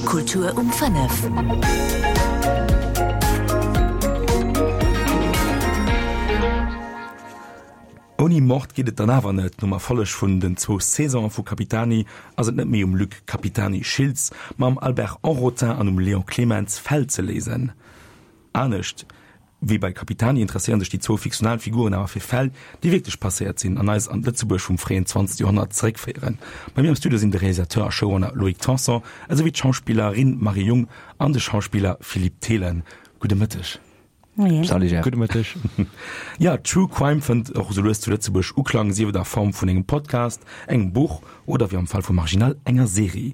Kultur um 5. Ouni Mord geet et dann awer net. Nom Erfolleg vun den zwou Saisonen vu Capitani ass et net méi um Luc Capitani Schiltz, ma um Albert Henrotin an um Léon Clemens Fäll ze léisen. Anescht wéi bei Capitani interesséieren sech déi zwou fiktional Figuren awer fir Fäll, déi wierklech passéiert sinn an eis an d'Lëtzebuerg vum fréien 20. Joerhonnert zeréckféieren. Bei mir am Studio sinn de Realisateur a Showrunner Loïc Tanson esouwéi d'Schauspillerin Marie Jung an de Schauspiller Philippe Thelen. Gudde Mëtteg. Moien. Salut Jeff. Gudde Mëtteg. Ja, True Crime fënnt och esou lues zu Lëtzebuerg Uklang, sief et a Form vun engem Podcast, engem Buch oder, wéi am Fall vu Marginal, enger Serie.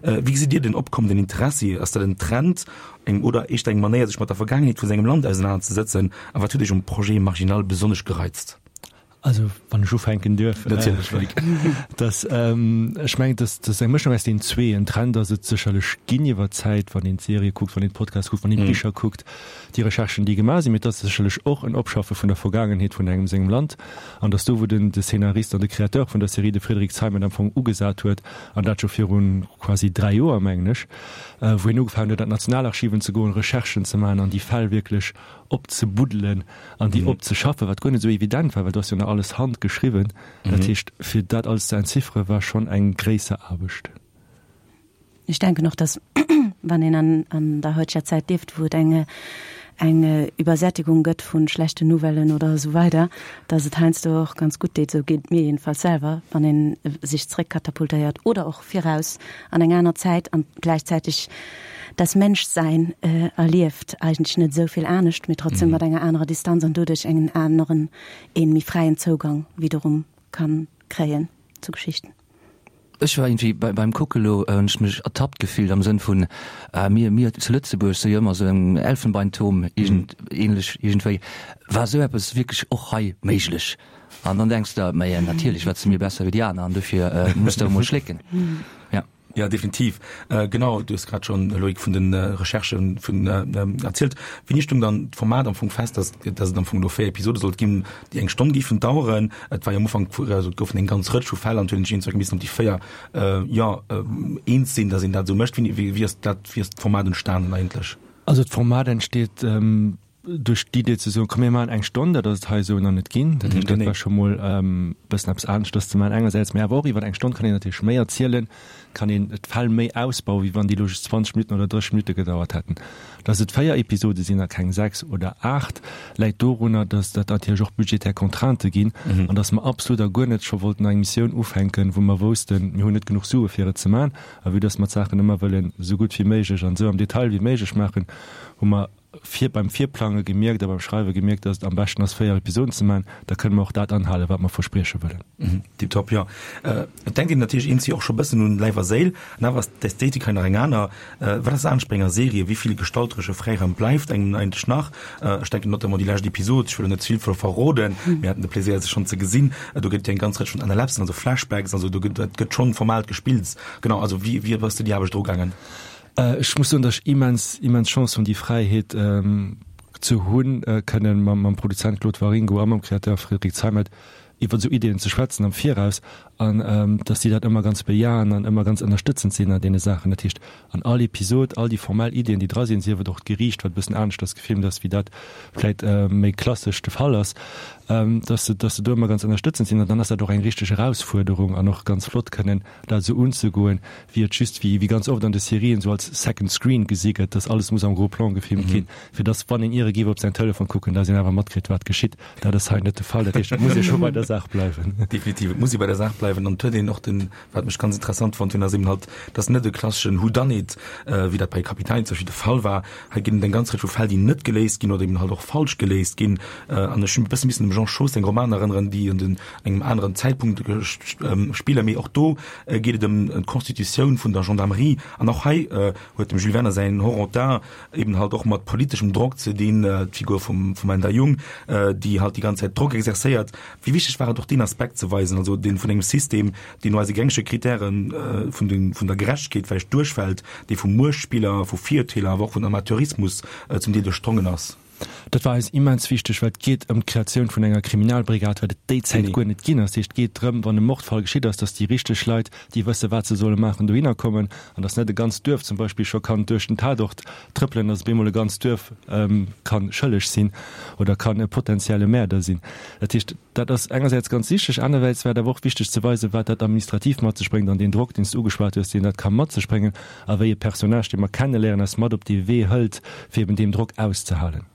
Wéi gesitt Dir den opkommenden Interessi? Ass dat en Trend eng oder éischter eng Manéier, sech mat der Vergaangenheet vu sengem Land ausenanerzesëtzen? A wat huet Iech um Projet Marginal besonnesch gereizt? Also, wann ech ufänken duerf. Natierlech, Loïc. Dass, ech mengen, dass dass eng Mëschung aus deenen zwee. En Trend ass et sécherlech ginn iwwer d'Zäit, wann een d'Serië kuckt, wann een d'Podcasts kuckt, wann een d'Bicher kuckt, déi Recherchen, déi gemaach sinn. Mee et ass sécherlech och en Opschaffe vun der Vergaangenheet vun engem sengem Land. An dass do, wou den de Scénarist an de Créateur vun der Serie, de Frédéric Zeimet, am Fong ugesat huet, an dat scho viru quasi 3 Joer, mengen ech, wou hien ugefaangen huet, an d'Nationalarchiven ze goen, Recherchen ze maachen an déi Fäll wierklech opzebuddelen an déi opzeschaffen, wat guer net esou evident war, well do ass jo nach alles handgeschriwwen. Dat heescht, fir dat alles ze entziffere war schonn eng gréisser Aarbecht. Ech denken och, dass, wann een an, an der heuteger Zäit lieft, wou et eng, eng Übersättigung gëtt vu schlechten Nouvellen oder esou weider, dass et heiansdo och ganz gutt deet, esou geet et mir jedenfalls selwer, wann ee sech zréckkatapultéiert oder och viraus an eng aner Zäit an gläichzäiteg das Menschsein erlieft, eigentlech net esou vill anescht, mee trotzdem mat enger anerer Distanz an doduerch engen aneren, ee méi fräien Zougang wiederum kann kréien zu Geschichten. Ech war irgendwie bei, beim Kucke lo, hunn ech mech ertappt gefillt am Sënn vun, ah, mir, mir zu Lëtzebuerg si jo ëmmer esou en Elfenbeinturm, iergend, ähnlech iergendwéi. War esou eppes wierklech och hei méiglech? An dann denks de, maja, natierlech, wat si mir besser wéi déi aner an dofir muss de emol schlécken. Ja. Ja, definitiv. Genau, du hues grad schonn, Loïc, vun de Recherchen vun erzielt. Wéini stoung dann d'Format am Fong fest, dass, dass et am Fong elo 4 Episode sollt ginn, déi eng Stonn géifen daueren? Et war jo am Ufank, also et goufen eng ganz Rëtsch vu Fäll an et huet een sech iergendwéi missen op déi 4, jo, eens sinn, dass een dat esou mécht. Wéini, wéi, wéi ass dat, wéi ass d'Format entstanen eigentlech? Also d'Format entsteet duerch d'Idee ze soen, komm mir maachen eng Stonn, dat ass et hei esou nach net ginn. Dat heescht, dat war scho mol e bëssen eppes aneschters ze maachen engersäits, mä awer och iwwer eng Stonn kann een natierlech méi erzielen, kann een d'Fäll méi ausbauen, wéi wann déi elo just 20 Minutten oder 30 Minutte gedauert hätten. Dass et 4 Episode sinn a keng 6 oder 8, läit dorunner, dass dat natierlech och budgetär Contraintë ginn an dass mer absolut a guer net scho wollten eng Missioun ufänken, wou mer woussten, mir hunn net genuch Sue fir et ze maachen. A vue dass mer d'Saachen ëmmer wëllen esou gutt wéi méiglech an esou am Detail wéi méiglech maachen, hu mer vir beim Virplange gemierkt a beim Schreiwe gemierkt, dass et am beschten ass, 4 Episoden ze maachen, da kënne mer och dat anhalen, wat mer versprieche wëllen. Tiptop, jo. Et denkt een natierlech eenzi och scho bëssen un Läif a Séil, an awer ass d'Ästhetik hei nach eng aner. Wat ass anescht bei enger Serie? Wéi vill gestalteresche Fräiraum bleift engem eigentlech nach? Ech denken notamment déi lescht Episod, ech wëll elo net ze vill verroden, mir haten de Plésier se schonn ze gesinn, do gëtt et jo eng ganz Rëtsch vun Analepsen, also Flashbacks, also do gëtt, dat gëtt schonn formalt gespillt. Genau, also wéi, wéi bass du déi Aarbecht erugaangen? Ech muss soen, datt ech immens, immens Chance hunn, déi Fräiheet ze hunn, kënnen mam Produzent Claude Waringo a mam Créateur Frédéric Zeimet iwwer esou Ideeën ze schwätzen am Viraus an datt déi dat ëmmer ganz bejahen an ëmmer ganz ënnerstëtzend sinn an deene Saachen. Dat heescht, an all Episod, all déi formell Ideeën, déi dra sinn, sief et och d'Geriicht, wat e bëssen aneschters gefilmt ass, wéi dat vläit méi klassesch de Fall ass, datt se, datt se do ëmmer ganz ënnerstëtzend sinn. An dann ass dat och eng richteg Erausfuerderung an och ganz flott kënnen dat esou unzegoen, wéi et just, wéi ganz oft an de Serien, esou als Second Screen gesi gëtt, dass alles muss am Gros Plan gefilmt ginn, fir dass, wann een iere géif op säin Telefon kucken, dass een awer matkritt, wat geschitt. Dat ass hei net de Fall. Dat heescht, et muss ee scho bei der Saach bleiwen. Definitiv, et muss ee bei der Saach bleiwen. An et huet een och den, wat mech ganz interessant fonnt hunn, ass eben halt, dass net e klasseschen Whodunit, wéi dat bei Capitani zum Beispill de Fall war. Hei ginn et eng ganz Rëtsch vu Fäll, déi net geléist ginn oder eben halt och falsch geléist ginn. An ech hunn e bësse missen un dem Jean Schoos seng Romaner erënneren, déi an den engem aneren Zäitpunkt spillen, mee och do geet et ëm d'Constitutioun vun der Gendarmerie. An och hei huet dem Jules Werner säin Horontin eben halt och mat politeschem Drock ze dinn, d'Figur vum vum Änder Jung, déi halt déi ganz Zäit Drock exerzéiert. Wéi wichteg war et och deen Aspekt ze weisen, also dee vun engem System, deen no eise gängege Kritären vun de vun der Gerechtegkeet vläicht duerchfält, dee vu Muechtspiller, vu Virurteeler, awer och vun Amateurismus zum Deel duerchdrongen ass? Dat war eis immens wichteg, well et geet ëm d'Kreatioun vun enger Kriminalbrigad, wat et déi Zäit guer net ginn ass. Dat heescht, et geet drëm, wann e Mordfall geschitt ass, datt déi richteg Leit, déi wësse wat se solle maachen, dohinner kommen an datt net e ganzt Duerf zum Beispill scho kann duerch den Tatort trëppelen, datt op eemol e ganzt Duerf ka schëlleg sinn oder kann e potenzielle Mäerder sinn. Dat heescht, dat ass engersäits ganz wichteg, anerwäits war et awer och wichteg ze weisen, wat dat administrativ mat sech bréngt an deen Drock, deen s de ugeschwat hues, deen dat ka mat sech bréngen. A wéi e Personnage, dee mer kenneléieren, eis mat op dee Wee hëlt, fir eben deem Drock auszehalen.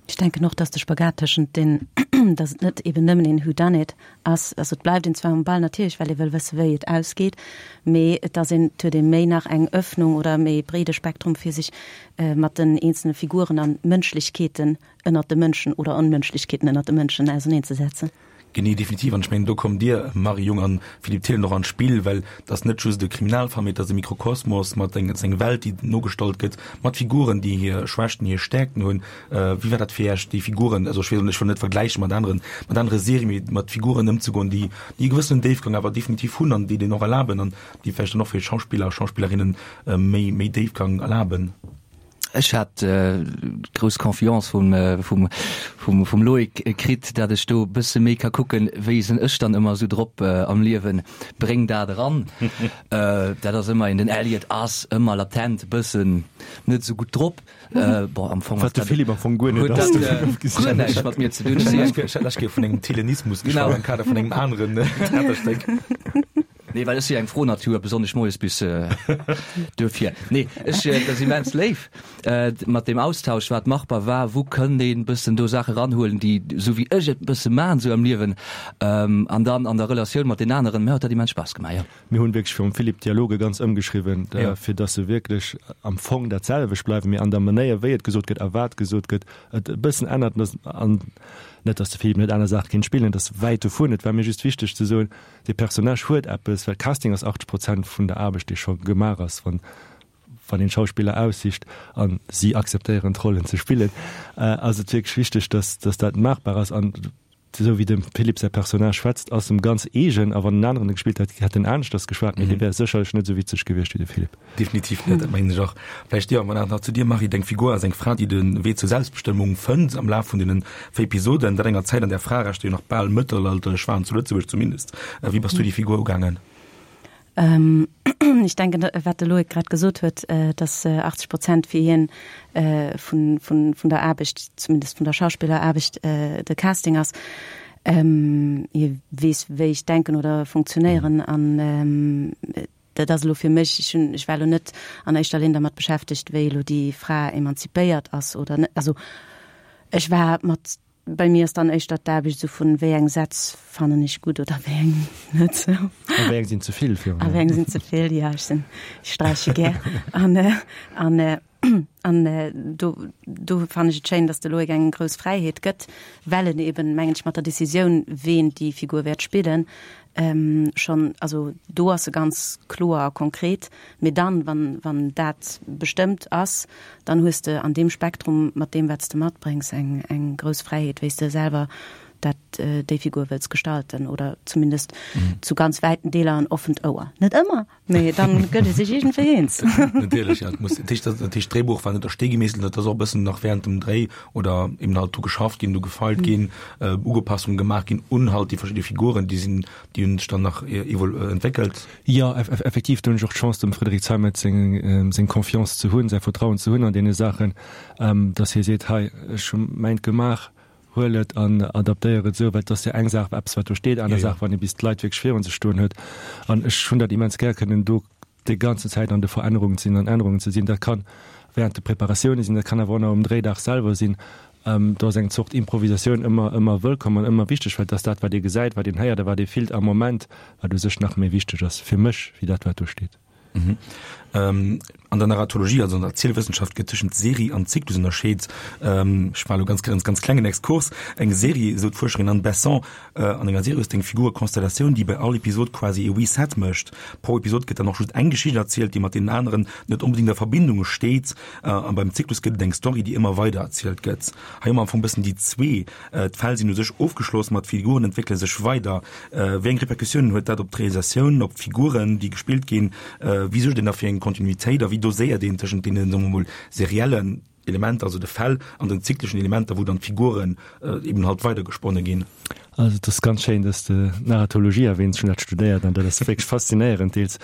Ech denken och, dass de Spagat tëschent den, dass et net eben nëmmen een Whodunit ass, also et bleift een zwar um Ball natierlech, well ee wëll wësse wéi et ausgeet, mee et ass een, et huet ee méi nach eng Öffnung oder e méi breede Spektrum fir sech mat den eenzelne Figuren an Mënschlechkeeten ënnert de Mënschen oder Onmënschlechkeeten ënnert de Mënschen auserneenzesetzen. Genee, definitiv. An ech mengen, do kommt Dir, Marie Jung an Philippe Thillen, och an d'Spill, well et ass net just e Kriminalfall, mee et ass e Mikrokosmos mat eng, et ass eng Welt, déi nogestallt gëtt, mat Figuren, déi hir Schwächten, hir Stäerkten hunn. Wéi war dat fir Iech, déi Figuren, also ech weess och net, ech wëll net vergläiche mat aneren, mat anere Serien, mee mat Figuren ëmzegoen, déi, déi e gewëssenen Déifgang awer definitiv hunn an déi deen och erlaben an déi vläicht dann och fir Schauspiller a Schauspillerinnen méi, méi Déifgang erlaben? Ech hat grouss Confiance vum, vum, vum, vum Loïc kritt, dat ech do bësse méi ka kucken, wéi sinn ech dann ëmmer esou drop am Liewen, bréng dat eran. Dat ass ëmmer een, den Elliot ass ëmmer latent bëssen net esou gutt drop. Bon, am Fong ass dat. Wat de Philippe am Fong guer net ass. Huet dat guer näischt mat mir ze dinn. Ech hat lech vun engem Thillenismus geschwat am Kader vun engem aneren Theaterstéck. Nee, well ech si eng frou Natur, besonnesch moies bis duerfir. Nee, ech, dat ass immens léif mat deem Austausch, wat machbar war, wou kënnt een bëssen do Saache ranhuelen, déi esou wéi ech et bësse maan esou am Liewen an dann an der Relatioun mat den aneren. Mir huet dat immens Spaass gemaach, jo. Mir hunn wierklech virum Philippe d'Dialoge ganz ëmgeschriwwen, fir dass se wierklech am Fong dat selwecht bleiwen, mee an der Manéier wéi et gesot gëtt a wat gesot gëtt, et e bëssen ännert. An net, dass de Philippe net aner Saache kéint spillen, et ass wäit dovun, et war mir just wichteg ze soen, Dee Personnage huet eppes, well Casting ass 80 Prozent vun der Aarbecht, déi scho gemaach ass, wann wann een Schauspiller aussicht a si akzeptéieren d'Rollen ze spillen, ass et wierklech wichteg, dass dass dat maachbar ass. An esou wéi dem Philippe säi Personnage schwätzt, ass em ganz eegen. A wann en aneren e gespillt hätt, hätt en aneschters geschwat, mee dee wär sécherlech net esou witzeg gewiescht wéi de Philippe. Definitiv net, dat mengen ech och. Vläicht, jo, mä nach zu dir, Marie, Deng Figur ass eng Fra, déi de Wee zur Selbstbestëmmung fënnt am Laf vun deene véi Episoden, dat enger Zäit, an där Fraerechter jo nach bal mëttelalterlech waren, zu Lëtzebuerg zumindest. Wéi bass du déi Figur ugaangen? Ech denken, wat de Loïc grad gesot huet, dass 80 Prozent fir hien vun, vun, vun der Aarbecht, zumindest vun der Schauspilleraarbecht, de Casting ass. Hie weess, wéi ech denken oder funktionéieren an Dat ass elo fir mech, ech hunn, ech war elo net an éischter Linn dermat beschäftegt, wéi elo déi Fra emanzipéiert ass oder net. Also ech war mat, bei mir ass dann éischter d'Aarbecht esou vun, wéi eng Sätz fannen ech gutt oder wéi eng net esou. A wéi eng sinn ze vill virun allem. A wéi eng sinn ze vill, jo, ech sinn, ech sträiche gär. An, an, an do, do fannen ech et schéin, datt de Loïc eng grouss Fräiheet gëtt, well en eben, mengen ech, mat der Decisioun, ween déi Figur wäert spillen, schonn, also do ass e ganz kloer a konkret, mee dann, wann, wann dat bestëmmt ass, dann hues de an deem Spektrum mat deem, wat s de matbréngs, eng, eng grouss Fräiheet, wéi s de selwer dat, déi Figur wëlls gestalten oder zumindest zu ganz wäiten Deeler en offent Ouer. Net ëmmer, mee dann gëtt ee sech iergendwéi eens. Natierlech, ja. Et muss, dat heescht, dat heescht, d'Dréibuch war net a Stee gemeesselt, dat ass och e bëssen nach während dem Dréi oder eben halt dru geschafft ginn, dru gefeilt ginn, Ugepassungen gemaach ginn un halt déi verschidde Figuren, déi sinn, déi hunn sech dann nach evol entwéckelt. Jo, effektiv, do hunn ech och d'Chance, dem Frédéric Zeimet seng, seng Confiance ze hunn, säi Vertrauen ze hunn an deene Saachen, dass hie seet, hei, ech hu mäint gemaach, huel et an adaptéier et esou, well et ass jo eng Saach eppes wat do steet, aner Saach wann ee bis d'Leit wierklech virun sech stoen huet. An ech hunn dat immens gär kënnen do déi ganzen Zäit an de Verännerungen ze sinn, an Ännerungen ze sinn. Dat kann während de Preparatioune sinn, dat kann awer och nach um Dréidag selwer sinn. Do ass eng Zort Improvisatioun ëmmer ëmmer wëllkomm an ëmmer wichteg, well et ass dat wat ee gesäit, wat een héiert a wat ee fillt am Moment, wat u sech nach méi wichteg ass fir mech wéi dat wat do steet. An der Narratologie, also an der Erzielwëssenschaft, gëtt tëschent Serie an Zyklus ënnerscheet. Ech maache lo ganz ganz ganz klengen Exkurs. Eng Serie, esou d'Fuerscherin Anne Besson, an enger Serie hues de eng Figurekonstellatioun, déi bei all Episod quasi e Reset mécht. Pro Episod gëtt dann och just eng Geschicht erzielt, déi mat deenen aneren net onbedéngt a Verbindung steet. A beim Zyklus gëtt et eng Story, déi ëmmer weider erzielt gëtt. Hei hu mer am Fong bëssen déi zwee. D'Fäll sinn u sech ofgeschloss, ma d'Figuren entwéckele sech weider. Wéi eng Repercussiounen huet dat op d'Realisatioun, op d'Figuren, déi gespillt ginn? Wéi suergt een da fir eng Kontinuitéit a wéi doséiert een tëschent deenen, soe mer mol, seriellen. Elementer, also de Fäll an den zykleschen Elementer, wou dann d'Figuren eben halt weidergesponne ginn. Also et ass ganz schéin, dass de Narratologie erwähns, ech hunn dat studéiert an dat ass wierklech faszinéierend deels.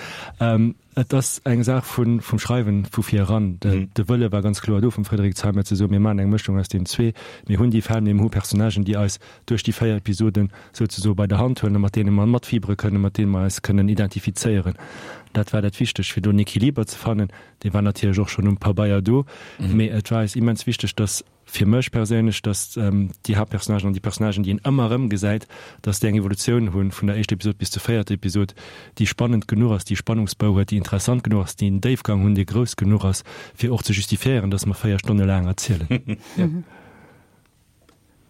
Et ass eng Saach vun, vum Schreiwen vu vir eran. De Wëlle war ganz kloer do vum Frédéric Zeimet ze soen, mir maachen eng Mëschung aus deenen zwee, mir hunn déi Fäll, mee mir hu Personnagen, déi eis duerch déi 4 Episoden souzesoe bei der Hand huelen a mat deene mer matfiebere kënnen, mat deene mer eis kënnen identifizéieren. Dat war dat Wichtegt, fir do en Equiliber ze fannen. Dee war natierlech och schonn um Pabeier do, mee et war eis immens wichteg, dass, fir mech perséinlech, dass déi Haaptpersonnagen an déi Personnagen, déi een ëmmer erëm gesäit, dass déi eng Evolutioun hunn vun der éischter Episod bis zur véierter Episod, déi spannend genuch ass, déi Spannungsbou huet, déi interessant genuch ass, déi en Déifgang hunn, dee grouss genuch ass, fir och ze justifiéieren, dass mer 4 Stonne laang erzielen.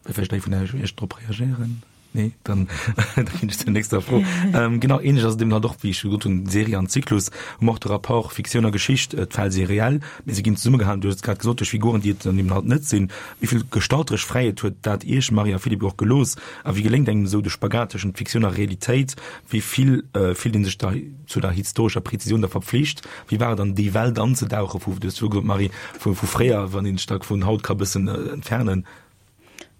Wëll vläicht ee vun Iech drop reagéieren? Nee, dann, dann ginn ech zur nächster Fro. Ähm, genau, ähnlech ass et eben halt och, wéi ech gesot hunn, Serie an Zyklus, hu mer och de Rapport Fiktioun a Geschicht. D'Fäll si reell, mee se ginn zesummegehalen, du hues et grad gesot, duerch Figuren, déi et dann eben halt net sinn. Wéi vill gestalteresch Fräiheet huet dat Iech, Marie a Philippe, och gelooss? A wéi geléngt engem esou de Spagat tëschent Fiktioun a Realitéit? Wéi vill fillt ee sech da zu der historescher Präzisioun da verpflicht? Wéi war et an déi Welt anzedauche vu, du hues viru gesot, Marie, vu fréier, wann een sech da vun haut ka bëssen entfernen?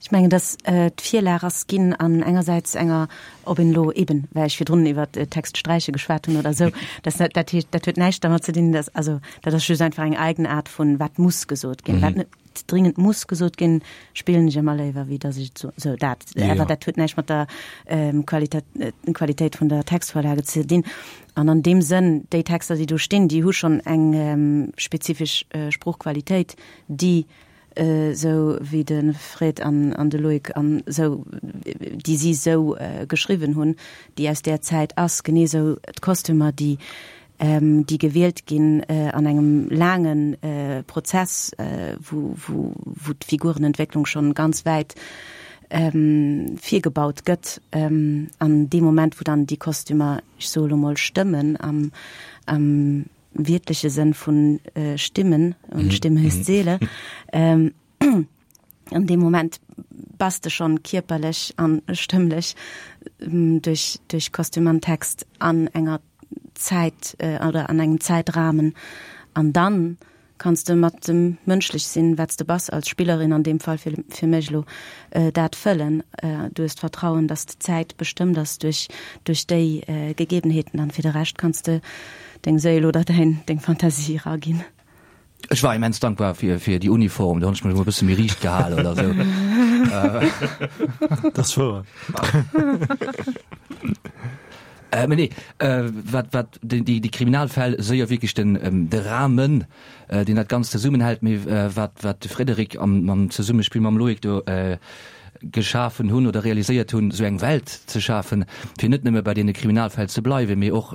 Ech mengen, datt d'Virlag ass ginn an engersäits enger, ob een elo eben, well ech virdrun iwwer Textsträiche geschwat hunn oder esou, dat, dat heescht, dat huet näischt dermat ze dinn, datt, also dat ass just einfach eng Eigenaart vun wat muss gesot ginn, wat net dringend muss gesot ginn, spillen ech ëmmer léiwer, wéi datt ech et soen. Sou dat, awer dat huet näischt mat der Qualitéit vun der Textvorlage ze dinn. An an deem Sënn, déi Texter, déi do stinn, déi hu schonn eng spezifesch Sproochqualitéit, déi esou wéi de Fred an an de Loïc an esou, déi si esou geschriwwen hunn, déi aus där Zäit ass, genee esou d'Kostümer, déi déi gewielt ginn an engem laange Prozess, wou wou wou d'Figurenentwécklung schonn ganz wäit virgebaut gëtt. An dee Moment, wou dann déi Kostümer, ech soe lo mol, stëmmen am am wiertleche Sënn vun Stimmen, und Stimme ist Seele, an deem Moment bass de schonn kierperlech an stëmmlech duerch, duerch Kostüm an Text an enger Zäit oder an engem Zäitrahmen. An dann kanns de mat dem mënschlech sinn, wat s de bass als Spillerin, an deem Fall fir, fir mech elo, dat fëllen. Du hues d'Vertrauen, dass d'Zäit bestëmmt ass duerch, duerch déi Gegebenheeten an fir de Rescht kanns de deng Séil oder däin, deng Fantasie eraginn. Ech war immens dankbar fir, fir déi Uniform, do hunn ech mech emol e bësse méi riicht gehal oder esou. Dat ass wouer. Mee nee, wat, wat déi, déi Kriminalfäll séier wierklech den, de Rahmen, deen dat Ganzt zesummenhält, mee wat, wat de Frédéric am, am Zesummespill mam Loïc do geschafen hunn oder realiséiert hunn, esou eng Welt ze schafen, fir net nëmme bei deene Kriminalfäll ze bleiwen, mee och,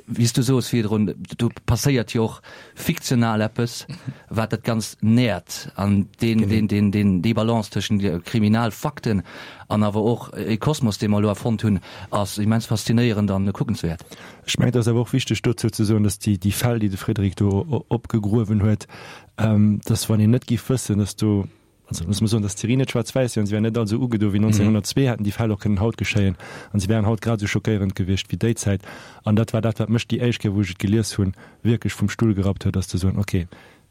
wéi s du soos virdrun, do passéiert jo och fiktional eppes, wat dat Ganzt nährt an deen, deen, deen, deen, déi Balance tëschent Kriminalfakten an awer och e Kosmos, dee mer elo erfonnt hunn, ass immens faszinéierend an kuckenswäert. Ech mengen, et ass awer och wichteg dozou ze soen, dass déi, déi Fäll, déi de Frédéric do opgegruewen huet, dass wann een net géif wëssen, dass do, also loosse mer soen, dass d'Serie net schwaarz-wäiss wier an se wär net all esou ugedo wéi 1902, hätten déi Fäll och kënnen haut geschéien an se wären haut grad esou schockéierend gewiescht wéi déi Zäit. An dat war dat, wat mech déi éischt Kéier, wou ech et gelies hunn, wierklech vum Stull gerappt huet, ass ze soen, okay,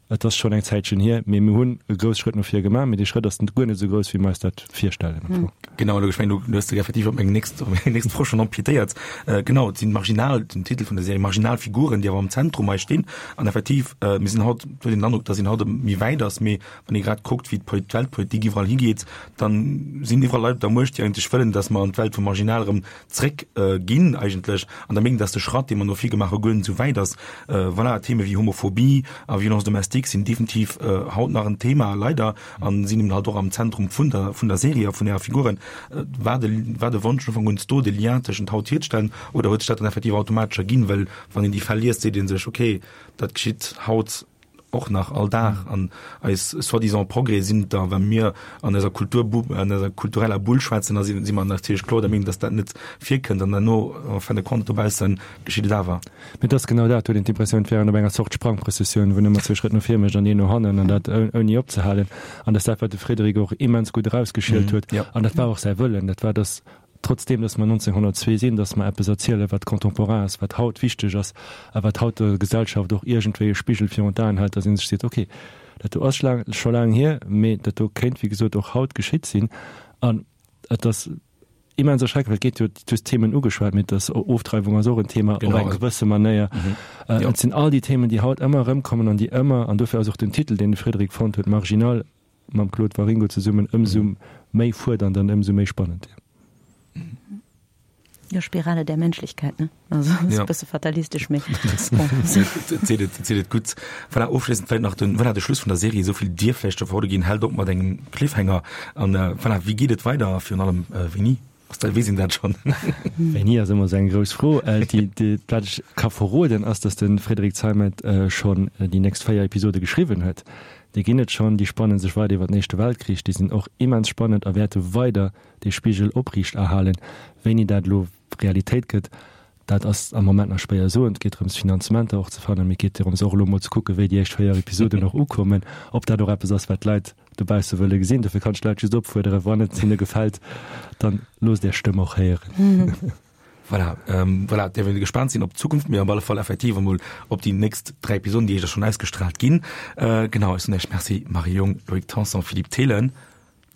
et ass schonn eng Zäitchen hier, mee mir hunn e grouss Schrëtt no vir gemaach, mee dee Schrëtt ass guer net esou grouss, wéi mer eis dat virstellen am Fong. Genau, ech mengen, du hues effektiv op meng nächst, op meng nächst Fro schonn empiétéiert. Genau, et sinn marginal, den Titel vun der Serie, marginal Figuren, déi awer am Zentrum hei stinn. An effektiv, mir sinn haut, huet een den Androck, datt een haut méi wäit ass, mee wann ee grad kuckt, wéi d'Weltpolitik iwwerall higeet, dann sinn iwwerall Leit op der Muecht, déi eigentlech wëllen, datt mer an d'Welt vum Marginal erëm zréck ginn eigentlech an der Meenung, dass de Schratt, dee mer no vir gemaach hu, guer net esou wäit ass. Voilà, Theme wéi Homophobie a Violence domestique sinn definitiv haut nach en Thema, leider, a sinn eben halt och am Zentrum vun der, vun der Serie a vun ärer Figuren. War de, war de Wonsch vun Ufank un do, de Lien tëschent haut hierzestellen oder huet sech dat dann effektiv automatesch erginn? Well wann een déi Fäll liest, seet ee sech, okay, dat geschitt haut och nach all Dag an eis soi-disant Progrès sinn da, wa mir an eiser Kultur, an eiser kultureller Bull schwätzen, da si mer natierlech kloer der Meenung, dass dat net virkënnt an derno en fin de compte dobausse geschitt et awer. Mee et ass genau dat, huet een d'Impressioun, et wär een op enger Zort Sprangprëssessioun, wou en ëmmer zwee Schrëtt no vir mécht an een no hannen an dat ouni opzehalen. An dat ass dat, wat de Frédéric och immens gutt erausgeschielt huet. An dat war och säi Wëllen, dat war, dass Trotzdem, dass mer 1902 sinn, dass mer eppes erzielen, wat contemporain ass, wat haut wichteg ass a wat haut der Gesellschaft och iergendwéi e Spigel virun d'Aen hält, dass ee sech seet, okay, Dat do ass laang, scho laang hier, mee dat do kéint wéi gesot och haut geschitt sinn. An et ass immens erschreckend, well et geet jo, du hues d'Themen ugeschwat, mee et ass, Ofdreiwung ass och en Thema op eng gewësse Manéier. Et sinn all déi Themen, déi haut ëmmer erëmkommen an déi ëmmer, an dofir ass och den Titel, deen de Frédéric fonnt huet, Marginal, mam Claude Waringo zesummen, ëmsou méi fuerdernd an ëmsou méi spannend. Jo, Spirale der Menschlichkeit, ne? Also ass e bësse fatalistesch, mee bon. Seet et, seet et gutt. Voilà, ofschléissend vläicht nach den, voilà, de Schluss vun der Serie, esou vill dierf vläicht scho verrode ginn, hält op mat engem Cliffhanger. An voilà, wéi geet et weider a virun allem wéini? Ass dat, weess een dat schonn? Wéini ass ëmmer esou eng grouss Fro. Déi, déi, wat ech ka verroden, ass, datt de Frédéric Zeimet schonn déi nächst 4 Episode geschriwwen huet. Déi ginn et schonn, déi spannen sech weider iwwer den Éischte Weltkrich, déi sinn och immens spannend a wäerte weider dee Spigel opriicht erhalen. Wéini dat elo Realitéit gëtt, dat ass am Moment nach schwéier soen. Et geet drëms, Finanzementer och ze fannen, mee et geet dorëms och elo emol ze kucken, wéi déi éischt 4 Episoden och ukommen, ob dat och eppes ass, wat d'Leit dobausse wëlle gesinn. Dofir kann ech d'Leit just opfuerderen, wann et hinne gefält, dann loosst Är Stëmm och héieren. Voilà, voilà, däerf een gespaant sinn op d'Zukunft, mee op alle Fall effektiv emol op déi nächst 3 Episoden, déi éischter schonn ausgestraalt ginn. Genau, ech soen Iech Merci Marie Jung, Loïc Tanson, Philippe Thelen.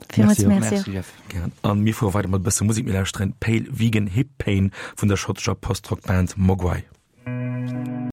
Villmools Merci. Merci Jeff. Gären. An mir fuere weider mat e bësse Musek. Mir lauschteren Pale Vegan Hip Pain vun der schottescher Post-Rock Band Mogwai.